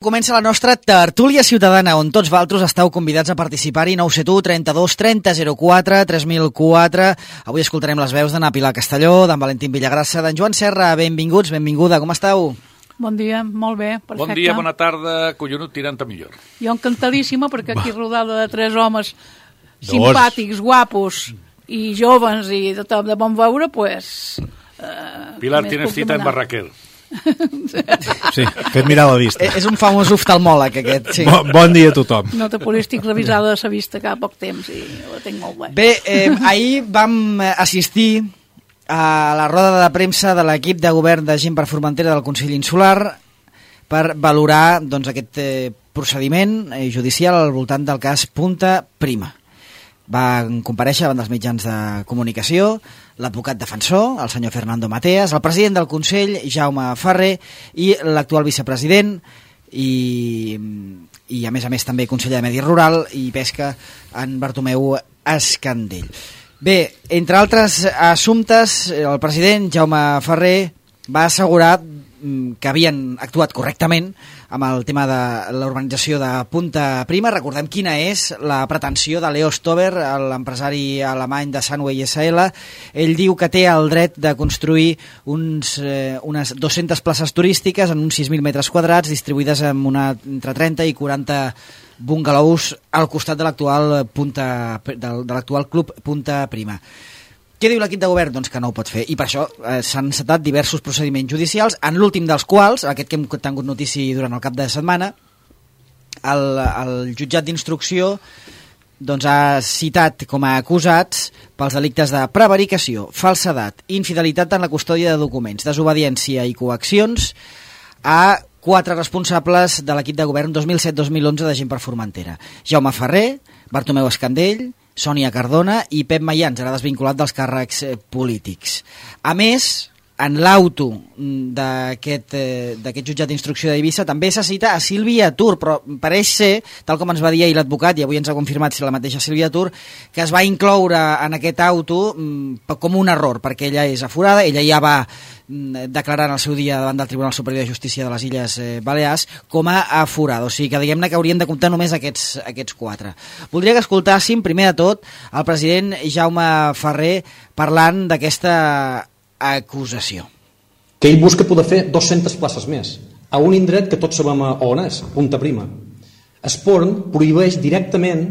Comença la nostra tertúlia ciutadana, on tots vosaltres esteu convidats a participar-hi. 971 32 30 04 3004. Avui escoltarem les veus d'en Pilar Castelló, d'en Valentín Villagrassa, d'en Joan Serra. Benvinguts, benvinguda, com esteu? Bon dia, molt bé, perfecte. Bon dia, bona tarda, collonut, tirant a millor. Jo encantadíssima, perquè aquí rodada de tres homes simpàtics, guapos i joves i de tot de bon veure, pues... Pilar, tienes cita en Barraquer. Sí, fet mirar la vista. És un famós oftalmòleg, aquest, sí. Bon dia a tothom. Nota polístic revisada de sa vista cada poc temps i la tinc molt bé. Bé, ahir vam assistir a la roda de premsa de l'equip de govern de Gent per Formentera del Consell Insular per valorar doncs, aquest procediment judicial al voltant del cas Punta Prima. Van comparèixer davant dels mitjans de comunicació l'advocat defensor, el senyor Fernando Mateas, el president del Consell, Jaume Ferrer, i l'actual vicepresident i a més també conseller de Medi Rural i Pesca, en Bartomeu Escandell. Bé, entre altres assumptes, el president Jaume Ferrer va assegurar que havien actuat correctament amb el tema de l'urbanització de Punta Prima. Recordem quina és la pretensió de Leo Stover, l'empresari alemany de Sunway SL. Ell diu que té el dret de construir unes 200 places turístiques en uns 6.000 metres quadrats distribuïdes en entre 30 i 40 bungalows al costat de l'actual club Punta Prima. Què diu l'equip de govern? Doncs que no ho pot fer. I per això s'han encetat diversos procediments judicials, en l'últim dels quals, aquest que hem tingut notícia durant el cap de setmana, el jutjat d'instrucció doncs, ha citat com a acusats pels delictes de prevaricació, falsedat, infidelitat en la custòdia de documents, desobediència i coaccions a 4 responsables de l'equip de govern 2007-2011 de Gent per Formentera. Jaume Ferrer, Bartomeu Escandell, Sònia Cardona i Pep Mayans, ara desvinculat dels càrrecs polítics. A més, en l'auto d'aquest jutjat d'instrucció d'Eivissa també se cita a Sílvia Tur, però pareix ser, tal com ens va dir ahir l'advocat, i avui ens ha confirmat si la mateixa Sílvia Tur, que es va incloure en aquest auto com un error, perquè ella és aforada, ella ja va declarar en el seu dia davant del Tribunal Superior de Justícia de les Illes Balears com a aforada, o sigui que diguem-ne que haurien de comptar només aquests 4. Voldria que escoltàssim primer de tot el president Jaume Ferrer parlant d'aquesta acusació. Que ell busca poder fer 200 places més a un indret que tots sabem on és, Punta Prima. Esporn prohibeix directament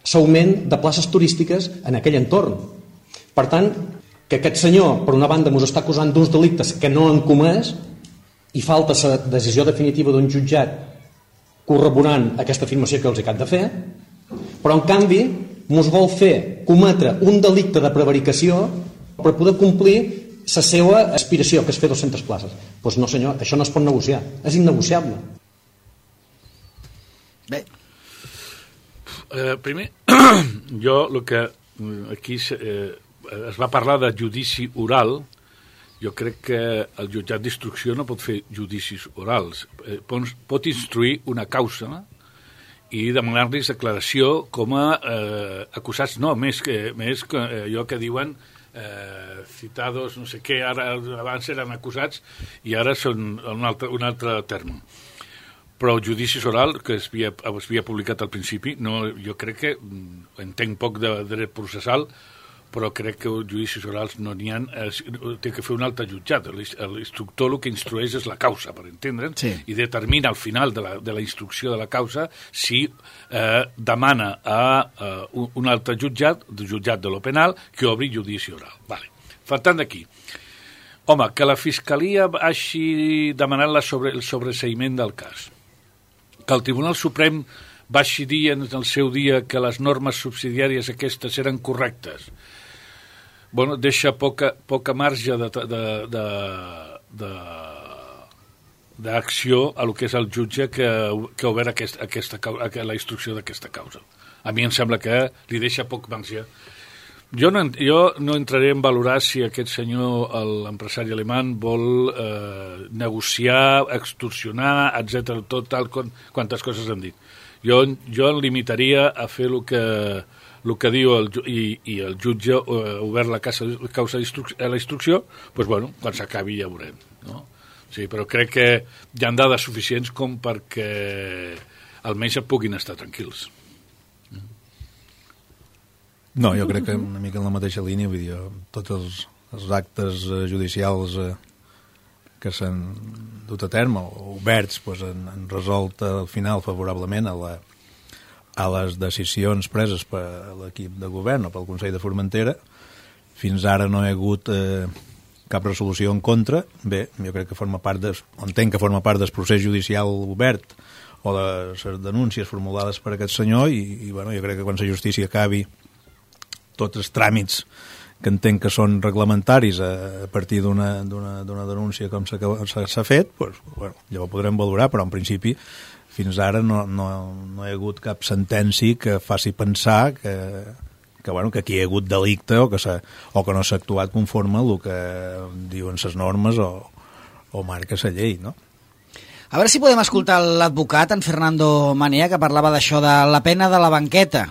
l'augment de places turístiques en aquell entorn. Per tant, que aquest senyor, per una banda, ens està acusant d'uns delictes que no han comès i falta la decisió definitiva d'un jutjat corroborant aquesta afirmació que els acaba de fer, però en canvi ens vol fer cometre un delicte de prevaricació per poder complir la seva aspiració, que és fer 200 places. Doncs no, senyor, això no es pot negociar. És innegociable. Bé. Primer, jo el que aquí es va parlar de judici oral. Jo crec que el jutjat d'instrucció no pot fer judicis orals. Pot instruir una causa i demanar-los declaració com a acusats. No, més que allò que diuen citados, no sé què, ara abans eren acusats i ara són un altre terme. Però el judici oral que es havia publicat al principi, no, jo crec que entenc poc de dret processal, però crec que els judicis orals no n'hi ha, té que fer un altre jutjat. L'instructor el que instrueix és la causa, per entendre'n, sí. I determina al final de la instrucció de la causa si demana a un altre jutjat de lo penal, que obri judici oral. Vale. Faltant d'aquí. Home, que la Fiscalia hagi demanat el sobreseïment del cas, que el Tribunal Suprem va dir en el seu dia que les normes subsidiàries aquestes eren correctes. Bueno, deixa poca marge d'acció a lo que és el jutge que ha obert la instrucció d'aquesta causa. A mi em sembla que li deixa poc marge. Jo no entraré en valorar si aquest senyor, l'empresari alemany, vol negociar, extorsionar, etc., tot tal quantes coses han dit. Jo em limitaria a fer el que diu el jutge obert la causa a la instrucció, doncs, bueno, quan s'acabi ja veurem, no? Sí, però crec que hi ha dades suficients com perquè almenys et puguin estar tranquils. No, jo crec que una mica en la mateixa línia, vull dir, tots els actes judicials que s'han dut a terme o oberts doncs, han resolt al final favorablement a les decisions preses per l'equip de govern o pel Consell de Formentera. Fins ara no hi ha hagut cap resolució en contra. Bé, jo crec que entenc que forma part del procés judicial obert o de les denúncies formulades per aquest senyor i bueno, jo crec que quan la justícia acabi tots els tràmits que entenc que són reglamentaris a partir d'una denúncia com s'ha fet, doncs, bueno, llavors podrem valorar, però en principi fins ara no hi ha hagut cap sentència que faci pensar que aquí hi ha hagut delicte o que no s'ha actuat conforme al que diuen les normes o marca la llei, no? A veure si podem escoltar l'advocat, en Fernando Manea, que parlava d'això de la pena de la banqueta.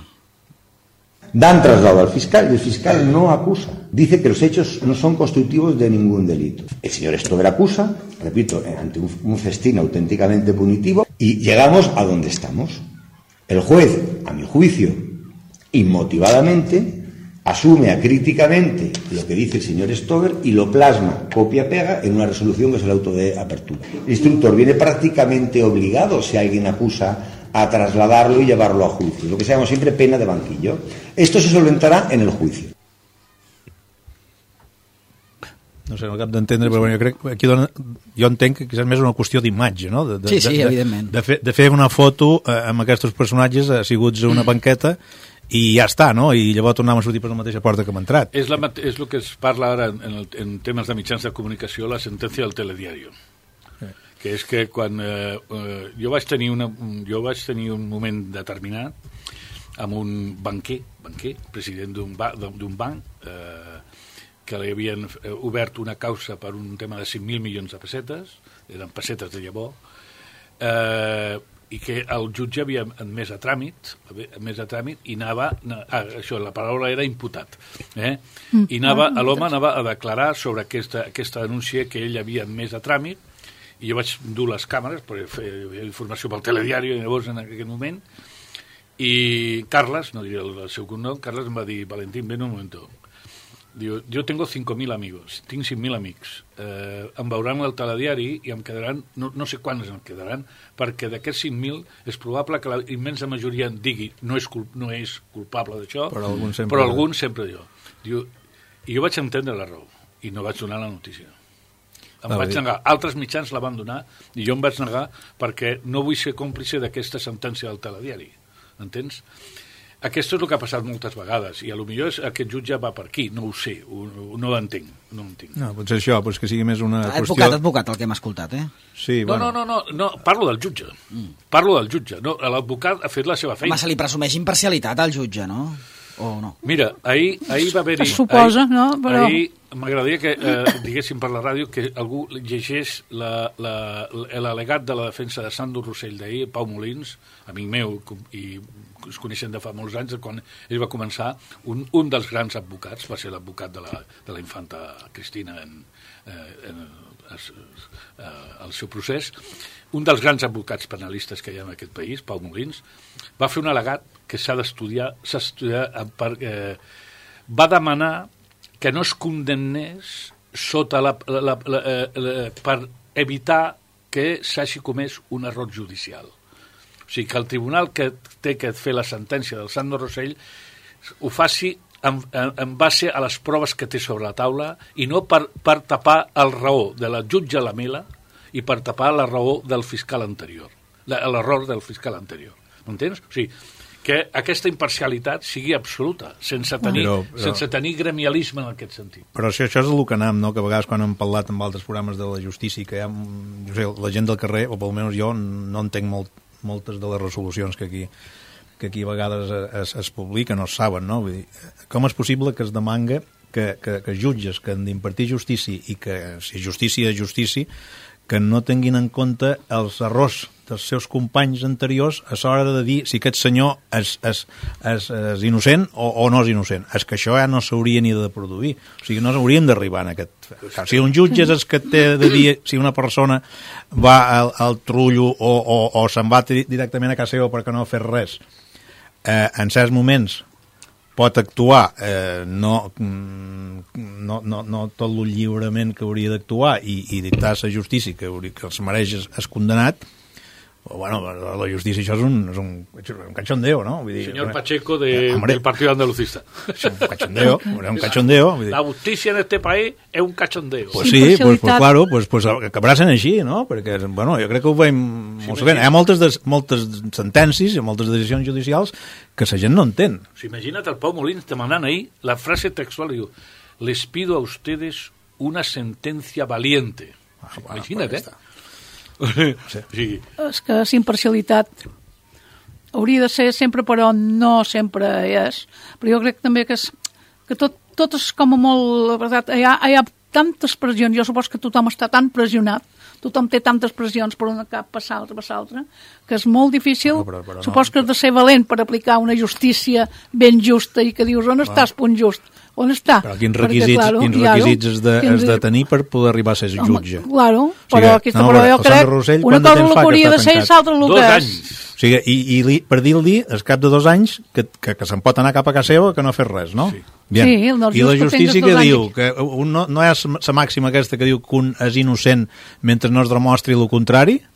Dan traslado al fiscal y el fiscal no acusa. Dice que los hechos no son constitutivos de ningún delito. El señor Stover acusa, repito, ante un festín auténticamente punitivo y llegamos a donde estamos. El juez, a mi juicio, inmotivadamente, asume acríticamente lo que dice el señor Stover y lo plasma, copia-pega, en una resolución que es el auto de apertura. El instructor viene prácticamente obligado, si alguien acusa, a trasladarlo y llevarlo a juicio, lo que se llama siempre pena de banquillo. Esto se solventará en el juicio. No sé, no acabo d'entendre, però bueno, jo crec que aquí jo entenc que és més una qüestió d'imatge, no? Sí, evidentment. De fer una foto amb aquests personatges asseguts a una banqueta i ja està, no? I llavors tornem a sortir per la mateixa porta que hem entrat. És el que es parla ara en temes de mitjans de comunicació, la sentència del telediario. Que és que quan jo vaig tenir un moment determinat amb un banquer, president d'un banc, que li havien obert una causa per un tema de 5.000 milions de pessetes, eren pessetes de llavor, i que el jutge havia admès a tràmit i anava, això, la paraula era imputat, i l'home anava a declarar sobre aquesta denúncia que ell havia admès a tràmit, i jo vaig dur les càmeres per fer informació pel telediari llavors en aquell moment, i Carles, no diré el seu cognom, Carles em va dir: Valentín, ven un moment. Diu, yo tengo 5.000 amigos, tinc 5.000 amics, em veuran al telediari i em quedaran, no sé quants em quedaran, perquè d'aquests 5.000 és probable que la immensa majoria em digui no és culpable d'això, però algun sempre diu. I jo vaig entendre la raó i no vaig donar la notícia. Em vaig negar. Altres mitjans la van donar i jo em vaig negar perquè no vull ser còmplice d'aquesta sentència del telediari. Entens? Aquest és el que ha passat moltes vegades i potser aquest jutge va per aquí, no ho sé, no ho entenc. No, potser això, doncs que sigui més una qüestió... Advocat, el que hem escoltat, Sí, bueno. No, parlo del jutge. No, l'advocat ha fet la seva feina. Home, se li presumeix imparcialitat al jutge, no? O no? Mira, ahir va haver-hi... Es suposa, no? Però... Ahir m'agradaria que diguéssim per la ràdio que algú llegeix l'al·legat de la defensa de Sandro Rossell d'ahir, Pau Molins, amic meu, i es coneixen de fa molts anys, quan ell va començar, un dels grans advocats, va ser l'advocat de la infanta Cristina en el seu procés, un dels grans advocats penalistes que hi ha en aquest país, Pau Molins, va fer un al·legat que s'ha d'estudiar va demanar que no es condemnés sota per evitar que s'hagi comès un error judicial. O sigui, que el tribunal que té que fer la sentència del Sandro Rossell ho faci en base a les proves que té sobre la taula i no per tapar el raó de la jutge Lamela i per tapar la raó del fiscal anterior, l'error del fiscal anterior. M'entens? O sigui, que aquesta imparcialitat sigui absoluta, sense tenir gremialisme en aquest sentit. Però això és el que anem, no? Que a vegades quan hem parlat amb altres programes de la justícia, que hi ha, jo sé, la gent del carrer, o almenys jo, no entenc moltes de les resolucions que aquí a vegades es publiquen o es saben, no? Vull dir, com és possible que es demanga que jutges que han d'impartir justícia i que, si justícia és justícia, que no tinguin en compte els errors dels seus companys anteriors a l'hora de dir si aquest senyor és innocent o no és innocent. És que això ja no s'hauria ni de produir. O sigui, no hauríem d'arribar en aquest... Si un jutge és el que té de dir si una persona va al trullo o se'n va directament a casa seva perquè no ha fet res, en certs moments pot actuar no tot el lliurement que hauria d'actuar i dictar la justícia que els mereix és condenat. Bueno, la justícia això és un cachondeo, ¿no? Vull dir, señor Pacheco del Partido Andalucista. És un cachondeo. Vull dir. La justícia en este país és un cachondeo. Pues sí, pues claro, pues acabarà sent així, no? Perquè, bueno, jo crec que ho veiem molt bé. Hi ha moltes sentències i moltes decisions judicials que la gent no entén. Imagina't el Pau Molins demanant ahir la frase textual, diu, les pido a ustedes una sentencia valiente. Imagina't, Sí. És que la imparcialitat hauria de ser sempre, però no sempre és. Però jo crec també que tot és com a molt... La veritat, hi ha tantes pressions, jo suposo que tothom està tan pressionat, tothom té tantes pressions per una cap passar l'altra, que és molt difícil. Però suposo que has de ser valent per aplicar una justícia ben justa i que dius, on estàs, punt just? On està? Però quins requisits has de tenir per poder arribar a ser jutge? Claro, però jo crec una cosa el que hauria de ser i l'altra el que és. O sigui, i per dir-li, al cap de 2 anys, que se'n pot anar cap a casa seva que no ha fet res, no? Sí. I la justícia que diu que no és la màxima aquesta que diu que un és innocent mentre no es demostri el contrari. O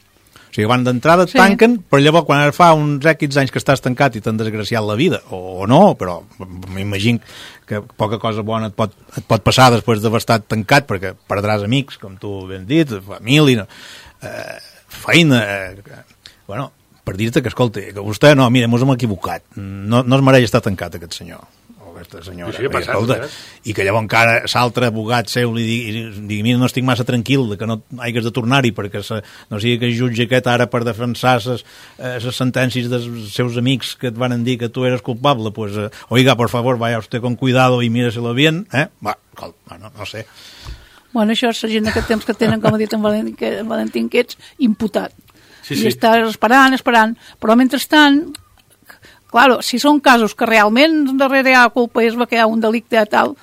sigui, van d'entrada et tanquen, però llavors quan fa uns X anys que estàs tancat i t'han desgraciat la vida, o no, però m'imagino que poca cosa bona et pot passar després d'haver estat tancat, perquè perdràs amics, com tu ben dit, família, feina... Bueno, per dir-te que, escolta, que vostè, no, mira, mos hem equivocat, no es mereix estar tancat aquest senyor. Senyora, sí, passat, i que llavors encara l'altre abogat seu li digui, mira, no estic massa tranquil que no hagués de tornar-hi perquè no sigui que el jutge aquest ara per defensar les sentències dels seus amics que et van dir que tu eres culpable, pues, oiga, por favor, vaya usted con cuidado y míreselo bien, va, no sé. Bueno, això és la gent d'aquest temps que tenen, com ha dit en Valentín, que ets imputat. Sí. I estàs esperant, però mentrestant... Claro, si són casos que realment darrere hi ha culpa és que hi ha un delicte tal,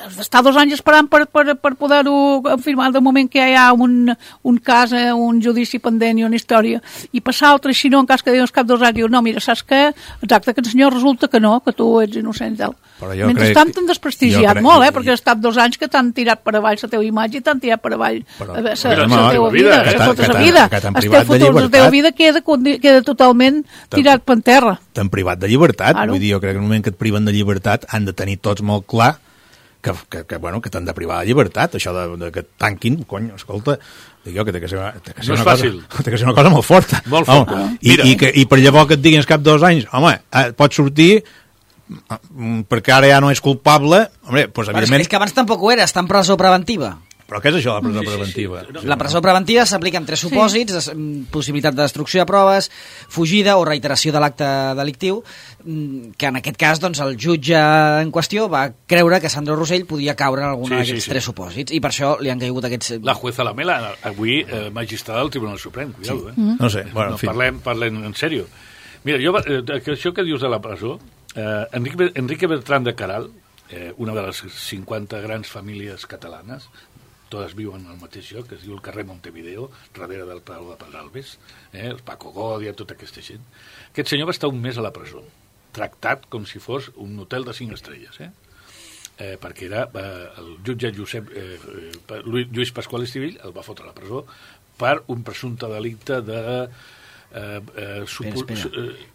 has d'estar 2 anys esperant per poder-ho afirmar de moment que hi ha un cas, un judici pendent i una història, i passar altre, si no, en cas que dius cap 2 anys, dius, no, mira, saps què? Exacte, que el senyor resulta que no, que tu ets innocent i tal. Mentrestant t'han desprestigiat molt, perquè has estat 2 anys que t'han tirat per avall la teva imatge i t'han tirat per avall la teva vida, tota la vida. El teu futur, la teva vida queda totalment tirat per terra. T'han privat de llibertat, vull dir, jo crec que en el moment que et priven de llibertat han de tenir tots molt clar que t'han de privar de llibertat, això de que et tanquin, cony, escolta, dic jo que té que ser una cosa molt forta. Molt forta. I per llavors que et diguin al cap 2 anys, home, pots sortir perquè ara ja no és culpable, home, doncs evidentment... És que abans tampoc ho era, està en presó preventiva. Però què és això, la presó preventiva? La presó preventiva s'aplica en 3 supòsits, possibilitat de destrucció de proves, fugida o reiteració de l'acte delictiu, que en aquest cas doncs, el jutge en qüestió va creure que Sandro Rosell podia caure en algun d'aquests 3 supòsits, i per això li han caigut aquests... La jueza Lamela, avui magistrada del Tribunal Suprem, cuidado, No sé, bueno, en fi. Parlem en sèrio. Mira, això que dius de la presó, Enrique Bertran de Caral, una de les 50 grans famílies catalanes, totes viuen al mateix lloc, que es diu el carrer Montevideo, darrere del Palau de Pedralbes, el Paco Godia, tota aquesta gent. Aquest senyor va estar un mes a la presó, tractat com si fos un hotel de 5 estrelles, perquè era el jutge Lluís Pasqual Estivill el va fotre a la presó per un presumpte delicte de...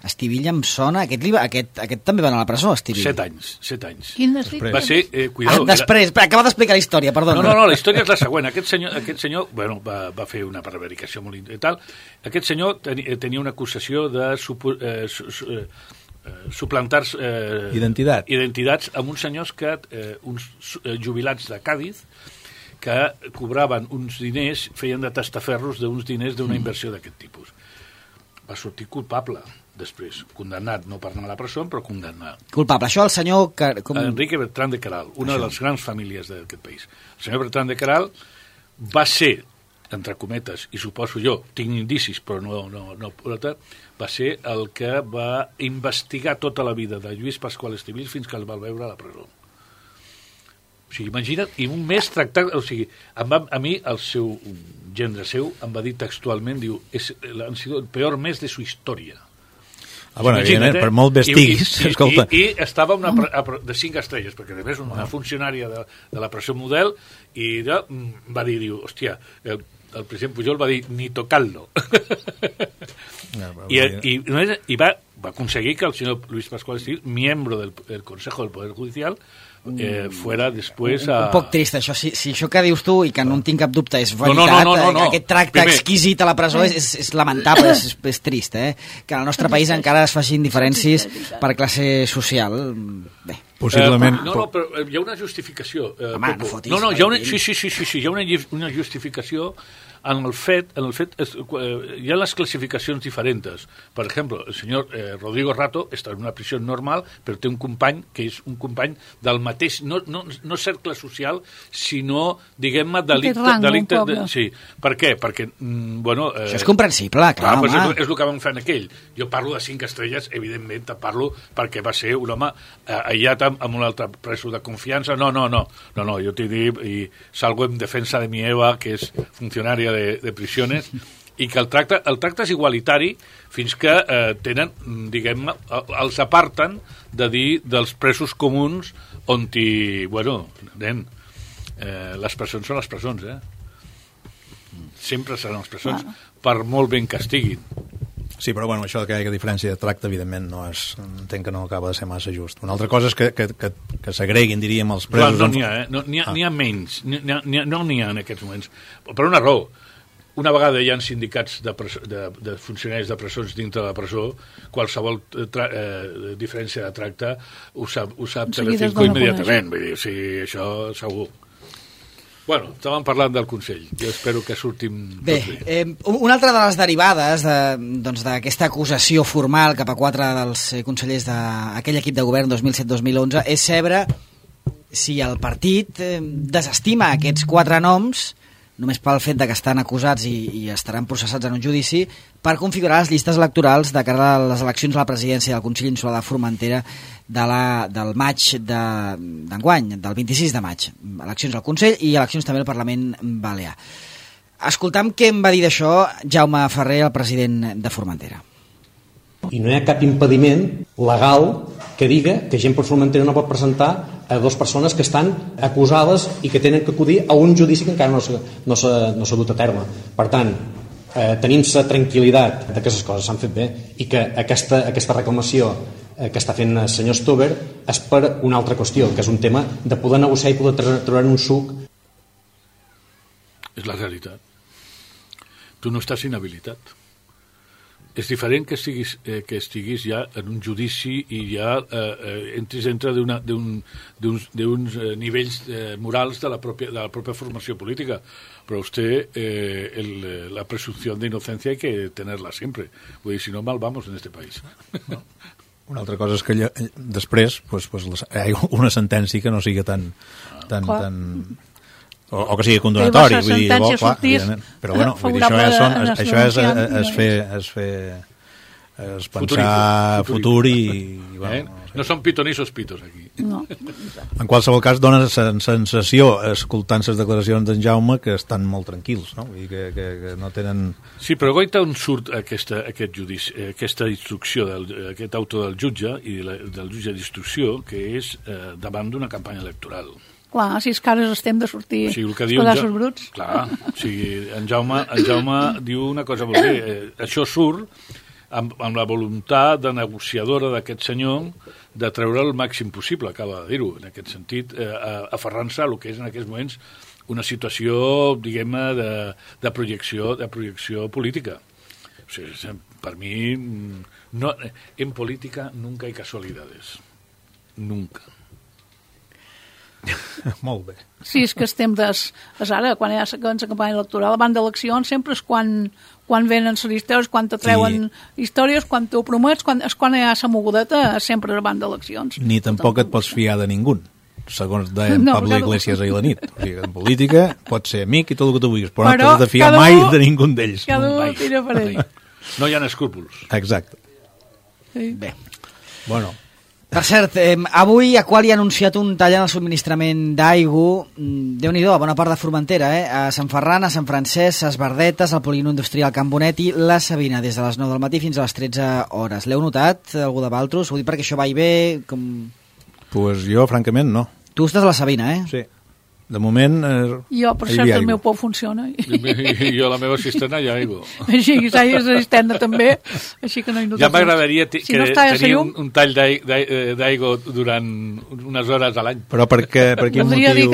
Estivill em sona, aquest també va anar a la presó, Estivill. 7 anys. Quin delicte? Va ser, cuidado... Després, acaba d'explicar la història, perdona. No, la història és la següent. Aquest senyor bueno, va fer una prevaricació molt i tal. Aquest senyor tenia una acusació de suplantar identitats amb uns senyors uns jubilats de Càdiz que cobraven uns diners, feien de tastaferros d'uns diners d'una inversió d'aquest tipus. Va sortir culpable, després condemnat, no per anar a la presó, però condemnat. Culpable, això el senyor... Enrique Bertran de Caral, una de les grans famílies d'aquest país. El senyor Bertran de Caral va ser entre cometes, i suposo jo, tinc indicis, però no va ser el que va investigar tota la vida de Lluís Pasqual Estivill fins que el va veure a la presó. O sigui, imagina't, i un mes tractant... O sigui, a mi, el seu gendre seu, em va dir textualment, diu, han sido el peor mes de su historia. Bueno, evidentment, per molt vestiguis, escolta. I estava de 5 estrelles, perquè a més una funcionària de la presó model, i va dir, hòstia, el president Pujol va dir, ni tocarlo. I va aconseguir que el senyor Luis Pascual Estivill, miembro del Consejo del Poder Judicial, fuera després a... Un poc trist, això. Si això que dius tu, i que no en tinc cap dubte, és veritat, no. Aquest tracte exquisit a la presó és lamentable, és trist, que al nostre país encara es facin diferències per classe social. Bé. Possiblement... No, però hi ha una justificació. Home, no fotis. No, hi ha hi ha una justificació en el fet hi ha les classificacions diferents. Per exemple, el senyor Rodrigo Rato està en una prisió normal, però té un company que és un company del mateix, no cercle social, sinó, diguem-ne, delicte. Sí. Per què? Perquè, bueno... Això és comprensible, clar, home. És el que vam fer en aquell. Jo parlo de 5 estrelles, evidentment, te parlo perquè va ser un home aïllat amb un altre preso de confiança. No, jo t'he dit, i salgo en defensa de mi Eva, que és funcionària de prisiones, i que el tracte és igualitari fins que tenen, diguem-ne, els aparten de dir dels presos comuns on les presons són les presons, sempre seran les presons, per molt ben que estiguin. Sí, però bueno, això que hi ha diferència de tracte, evidentment, entenc que no acaba de ser massa just. Una altra cosa és que s'agreguin, diríem, els presos... No n'hi ha, n'hi ha menys, no n'hi ha en aquests moments. Per una raó. Una vegada hi ha sindicats de funcionaris de presons dintre de la presó, qualsevol diferència de tracte ho sap Telecinco immediatament. Vull dir, o sigui, això segur. Bueno, estàvem parlant del Consell. Jo espero que sortim bé. Una altra de les derivades d'aquesta acusació formal cap a 4 dels consellers d'aquell equip de govern 2007-2011 és saber si el partit desestima aquests 4 noms només pel fet de que estan acusats i estaran processats en un judici per configurar les llistes electorals de cara a les eleccions a la presidència del Consell Insular de Formentera del maig d'enguany, del 26 de maig. Eleccions al Consell i eleccions també al Parlament Balear. Escoltam què em va dir d'això Jaume Ferrer, el president de Formentera. I no hi ha cap impediment legal que diga que gent per Formentera no pot presentar a 2 persones que estan acusades i que tenen que acudir a un judici que encara no s'ha dut a terme. Per tant, tenim la tranquil·litat que aquestes coses s'han fet bé i que aquesta reclamació que està fent el senyor Stover és per una altra qüestió, que és un tema de poder negociar i poder treure un suc. És la realitat. Tu no estàs inhabilitat. És diferent que estiguis ja en un judici i ja entris dintre d'uns nivells morals de la propia formació política. Però la presunció d'innocència hay que tenerla sempre. Vull dir, si no, mal vamos en este país. Una altra cosa és que després hi ha una sentència que no sigui tan o que sigui condonatori, vull dir, però bueno, vull dir, això és pensar futur i bueno, no són pitonissos pitos aquí. No. En qualsevol cas dona la sensació, escoltant les declaracions d'en Jaume, que estan molt tranquils, no? Vull dir que no tenen... Sí, però goita on surt aquest judici, aquesta instrucció, aquest auto del jutge i del jutge d'instrucció, que és davant d'una campanya electoral. Clar, si és que ara estem de sortir els pedaços bruts. Clar, o sigui, en Jaume diu una cosa molt bé. Això surt amb la voluntat de negociadora d'aquest senyor de treure el màxim possible, acaba de dir-ho, en aquest sentit, aferrant-se a el que és en aquests moments una situació, diguem-ne, de projecció política. O sigui, per mi, en política nunca hay casualidades. Nunca. Molt bé. Sí, és que estem ara, quan hi ha la campanya electoral, abans d'eleccions, sempre és quan venen les històries, quan te treuen històries, quan t'ho promets, quan hi ha la mogudeta, sempre abans d'eleccions. Ni tampoc et pots fiar de ningú. segons deia Pablo Iglesias ahir a la nit. O sigui, en política pots ser amic i tot el que tu vulguis, però no t'has de fiar mai de ningú d'ells. Cada un tira per ell. No hi ha escrúpols. Exacte. Sí. Bé. Bueno. Per cert, avui Aqualia ha anunciat un tall en el subministrament d'aigua, Déu-n'hi-do, a bona part de Formentera, a Sant Ferran, a Sant Francesc, a Esbardetes, al Polígon Industrial Can Bonet i la Sabina, des de les 9 del matí fins a les 13 hores. L'heu notat, algú de Valtros? Ho dic perquè això va i ve... Pues jo, francament, no. Tu estàs a la Sabina, eh? Sí. De moment... Jo, per cert, el meu pou funciona. I jo, la meva cisterna, hi ha aigua. Així, és cisterna també, així que no hi notes. Ja m'agradaria tenir un tall d'aigua durant unes hores a l'any. Però per quin motiu?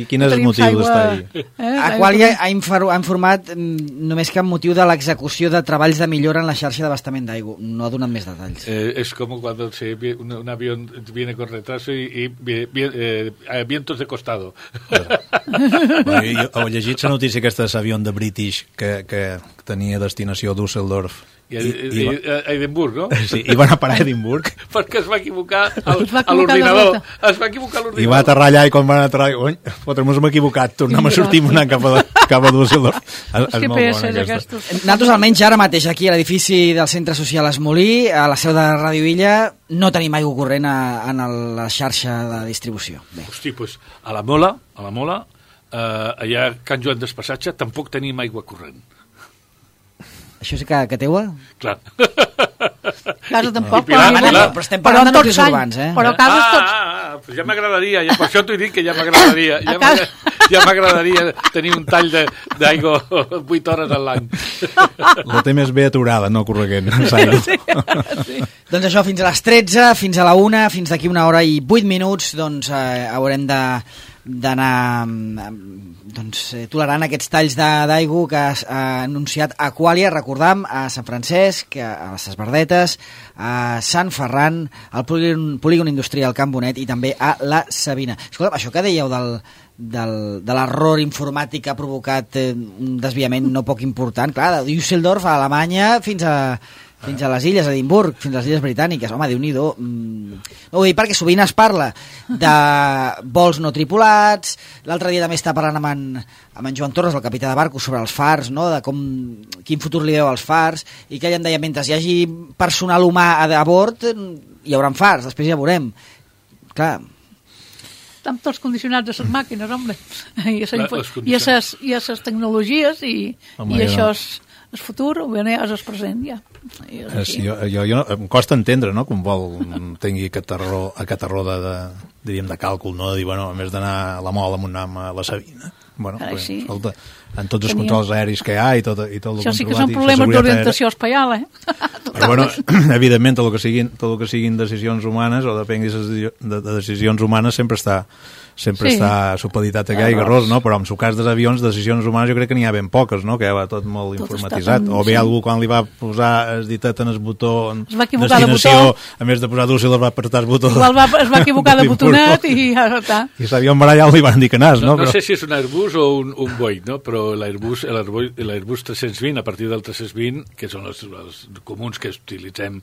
Quin és el motiu d'estar-hi? Aqualia ha informat només que amb motiu de l'execució de treballs de millora en la xarxa d'abastament d'aigua. No ha donat més detalls. Es como cuando un avión viene con retraso y vientos de costado. Bueno, jo he llegit la notícia aquesta de l'avió de British que tenia destinació a Düsseldorf i a Edimburg, no? Sí, i van a parar a Edimburg perquè es va equivocar a l'ordinador. Es va equivocar l'ordinador. I va aterrar allà i quan van aterrar, fotre-nos hem equivocat, tornem a sortir anant cap a Düsseldorf. És molt bona aquesta. Nosaltres almenys ara mateix aquí a l'edifici del Centre Social Esmolí, a la seu de Ràdio Illa, no tenim aigua corrent en la xarxa de distribució. Bé. Hosti, doncs a la Mola, allà a Can Joan d'Espassatge, tampoc tenim aigua corrent. Això sí que teua? Clar. Casa tampoc, però estem parlant de nuclis urbans, eh? Però cases tots... Pues ja m'agradaria, per això t'ho dic que ja m'agradaria. Ja m'agradaria tenir un tall d'aigua 8 hores a l'any. La té més bé aturada, no correguent. Sí. Doncs això, fins a les 13, fins a la 1, fins d'aquí 1 hora i 8 minuts, doncs haurem d'anar tolerant aquests talls d'aigua que ha anunciat Aqualia, recordam, a Sant Francesc, a les Esbardetes, a Sant Ferran, al Polígon Industrial Can Bonet i també a la Sabina. Escolta, això que dèieu de l'error informàtic que ha provocat un desviament no poc important, clar, de Düsseldorf a Alemanya fins a les illes, a Edimburg, fins a les illes britàniques. Home, Déu-n'hi-do. No ho dic perquè sovint es parla de vols no tripulats. L'altre dia també està parlant amb en Joan Torres, el capità de barcos, sobre els fars, no? De quin futur li veu als fars, i que ell em deia, mentre hi hagi personal humà a bord, hi haurà fars, després ja veurem. Clar. Estan tots condicionats a les màquines, home. I a les tecnologies, i això és... El futur, és el present, ja. Jo em costa entendre, no?, que un vol tingui aquest error de càlcul, no?, de dir, bueno, a més d'anar a la Mola, anem a la Sabina. Bueno, sí. Escolta, en tots els controls aeris que hi ha i tot el controlat... Això sí que són problemes d'orientació espaial, Però, bueno, evidentment, tot el que siguin decisions humanes o depenguis de decisions humanes sempre està supeditat a que hi hagi errors, no? Però en el cas dels avions, decisions humanes jo crec que n'hi ha ben poques, no? Que ja va tot molt informatitzat. O bé algú quan li va posar el ditet en el botó destinació, a més de posar Düsseldorf va apretar el botó. Igual es va equivocar de botonet i ja està. I l'avió en barallat li van dir que anàs, no? No sé si és un Airbus o un Boeing, no? Però l'Airbus 320, a partir del 320, que són els comuns que utilitzem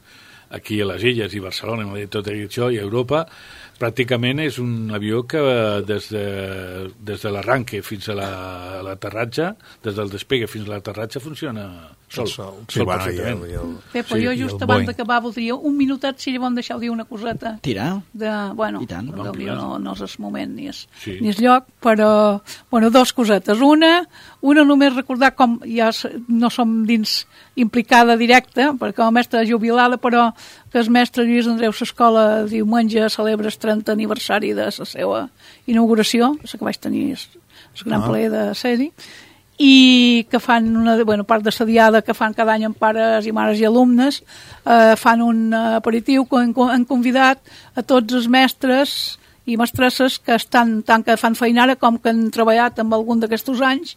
aquí a les illes i Barcelona i tot això, i a Europa, pràcticament és un avió que des de l'arranque fins a l'aterratge, des del despegue fins a l'aterratge funciona sol perfectament. Però jo just abans d'acabar voldria un minutet, si llavors deixeu dir una coseta. Tira. Bueno, no és el moment ni és lloc, però dues cosetes. Una només recordar com ja no som dins implicada directa, perquè com a mestra jubilada, però que el mestre Lluís Andreu s'escola diumenge celebra el 30 aniversari de la seva inauguració, la que vaig tenir el gran plaer de ser-hi, i que fan part de la diada que fan cada any amb pares i mares i alumnes, fan un aperitiu que han convidat a tots els mestres i mestresses que estan tant que fan feinara com que han treballat amb algun d'aquests anys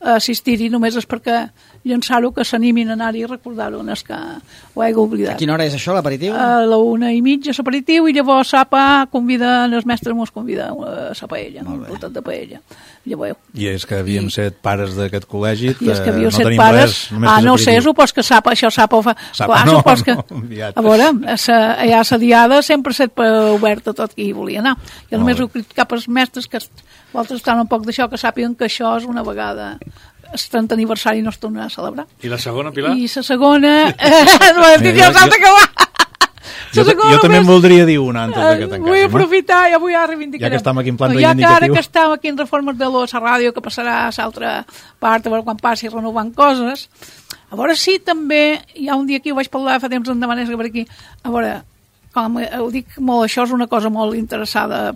assistir-hi, només és perquè llançar-ho, que s'animin a anar-hi i recordar-ho, no és que ho he oblidat. A quina hora és això, l'aperitiu? A la 1:30 l'aperitiu, i llavors sapa convida, els mestres mos convida a la paella, un platet de paella. Llavors, I és que havíem set pares d'aquest col·legi, i és que havíeu no set tenim pares, res, només no sé, supos que sapa, això sapa, clar, no, supos que, enviat. a veure, allà a la diada sempre set oberta tot qui hi volia anar. Jo només ho critic cap als mestres que vosaltres estan un poc d'això, que sàpiguen que això és una vegada el 30 aniversari no es tornarà a celebrar. I la segona, Pilar? I la segona... no he dit, ja s'ha d'acabar! Jo també en voldria dir una antes de que tanquem. Vull aprofitar, ja vull reivindicar. Ja que estem aquí en plan ja reivindicatiu. que ara que estem aquí en reformes de la ràdio, que passarà a l'altra part, a veure quan passi renovant coses, a veure si també, hi ha un dia aquí, ho vaig parlar fa temps endavant, és que per aquí, a veure, com ho dic molt, això és una cosa molt interessada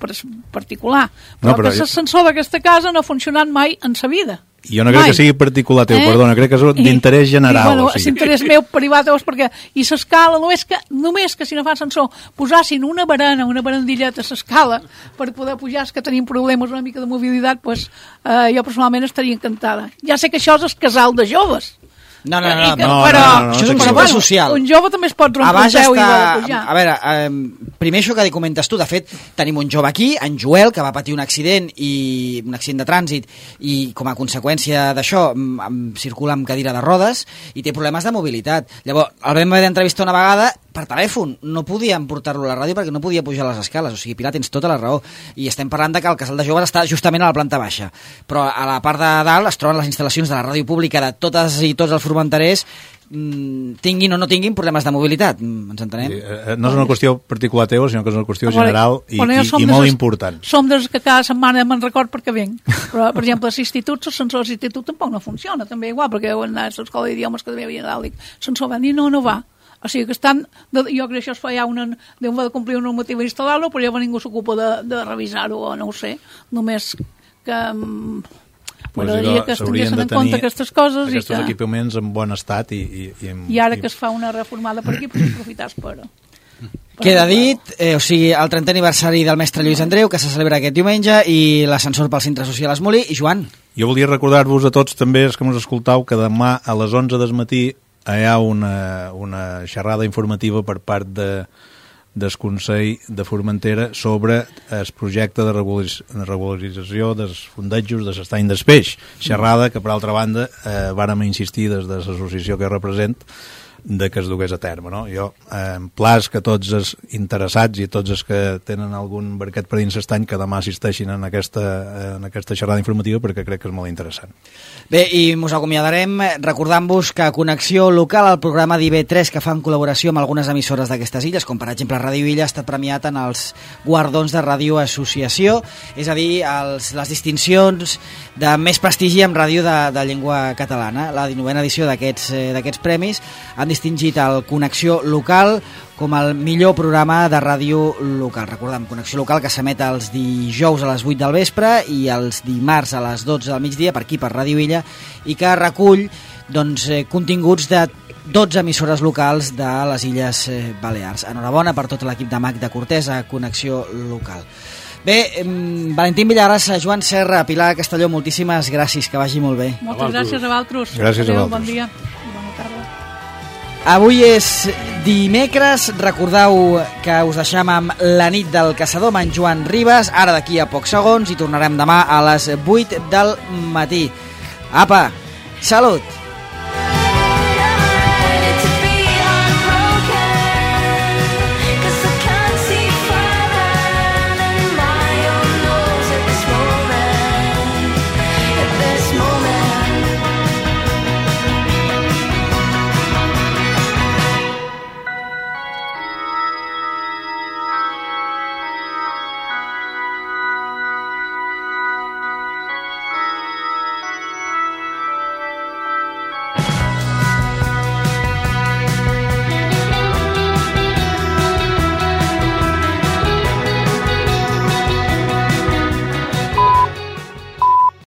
particular, però que l'ascensor d'aquesta casa no ha funcionat mai en sa vida. Jo no crec que sigui particular teu, perdona, crec que és d'interès general. Bueno, és interès meu privat, perquè i l'escala, només que si no fa ascensor posassin una barandilleta a l'escala per poder pujar, que tenim problemes una mica de mobilitat, doncs jo personalment estaria encantada. Ja sé que això és el casal de joves. No, però això és un centre social. Un jove també es pot rompre el peu i va de pujar. A veure, primer això que comentes tu, de fet, tenim un jove aquí, en Joel, que va patir un accident de trànsit, i com a conseqüència d'això circula amb cadira de rodes i té problemes de mobilitat. Llavors, el vam haver d'entrevistar una vegada per telèfon, no podíem portar-lo a la ràdio perquè no podia pujar les escales, o sigui, Pilar, tens tota la raó, i estem parlant de que el casal de joves està justament a la planta baixa, però a la part de dalt es troben les instal·lacions de la ràdio pública de totes i tots els formenterers, tinguin o no tinguin problemes de mobilitat, ens entenem? No és una qüestió particular teva, sinó que és una qüestió general i molt important. Som dels que cada setmana me'n record perquè venc, però per exemple a l'institut, l'ascensor de l'institut tampoc no funciona, també igual, perquè heu anat a l'escola d'idiomes que també havia anat, l'ascensor van dir no va. O sigui que estan, jo crec que això es fa ja Déu va de complir un normatiu i instal·lar-lo, però ja ningú s'ocupa de revisar-ho, o no ho sé, només que m'agradaria que es tinguessin en compte aquestes coses. Aquests equipaments en bon estat i ara que es fa una reformada per aquí, doncs aprofitar per... Queda dit, o sigui, el 30è aniversari del mestre Lluís Andreu, que se celebra aquest diumenge, i l'ascensor pel centre social Esmolí. I Joan? Jo volia recordar-vos a tots també, els que mos escoltau, que demà a les 11 del matí hi ha una xerrada informativa per part del Consell de Formentera sobre el projecte de regularització dels fondejos de l'estany del peix. Xerrada que, per altra banda, vàrem insistir des de l'associació que represent de que es dugués a terme. No? Jo emplaç que tots els interessats i tots els que tenen algun barquet per dins l'estany que demà assisteixin en aquesta xerrada informativa, perquè crec que és molt interessant. Bé, i mos acomiadarem recordant-vos que Connexió Local, el programa d'IV3 que fa en col·laboració amb algunes emissores d'aquestes illes, com per exemple Ràdio Illa, ha estat premiat en els guardons de Ràdio Associació, és a dir, les distincions de més prestigi en ràdio de llengua catalana. La 19a edició d'aquests premis han distingit el Connexió Local com el millor programa de ràdio local. Recordem, Connexió Local, que s'emet els dijous a les 8 del vespre i els dimarts a les 12 del migdia, per aquí, per Ràdio Illa, i que recull continguts de 12 emissores locals de les Illes Balears. Enhorabona per tot l'equip de MAC de Cortés a Connexió Local. Bé, Valentín Villagrasa, Joan Serra, Pilar Castelló, moltíssimes gràcies, que vagi molt bé. Moltes gràcies a vosaltres. Gràcies a vosaltres. Bon dia i bona tarda. Avui és dimecres, recordeu que us deixem amb La nit del caçador amb en Joan Ribas, ara d'aquí a pocs segons, i tornarem demà a les 8 del matí. Apa, salut!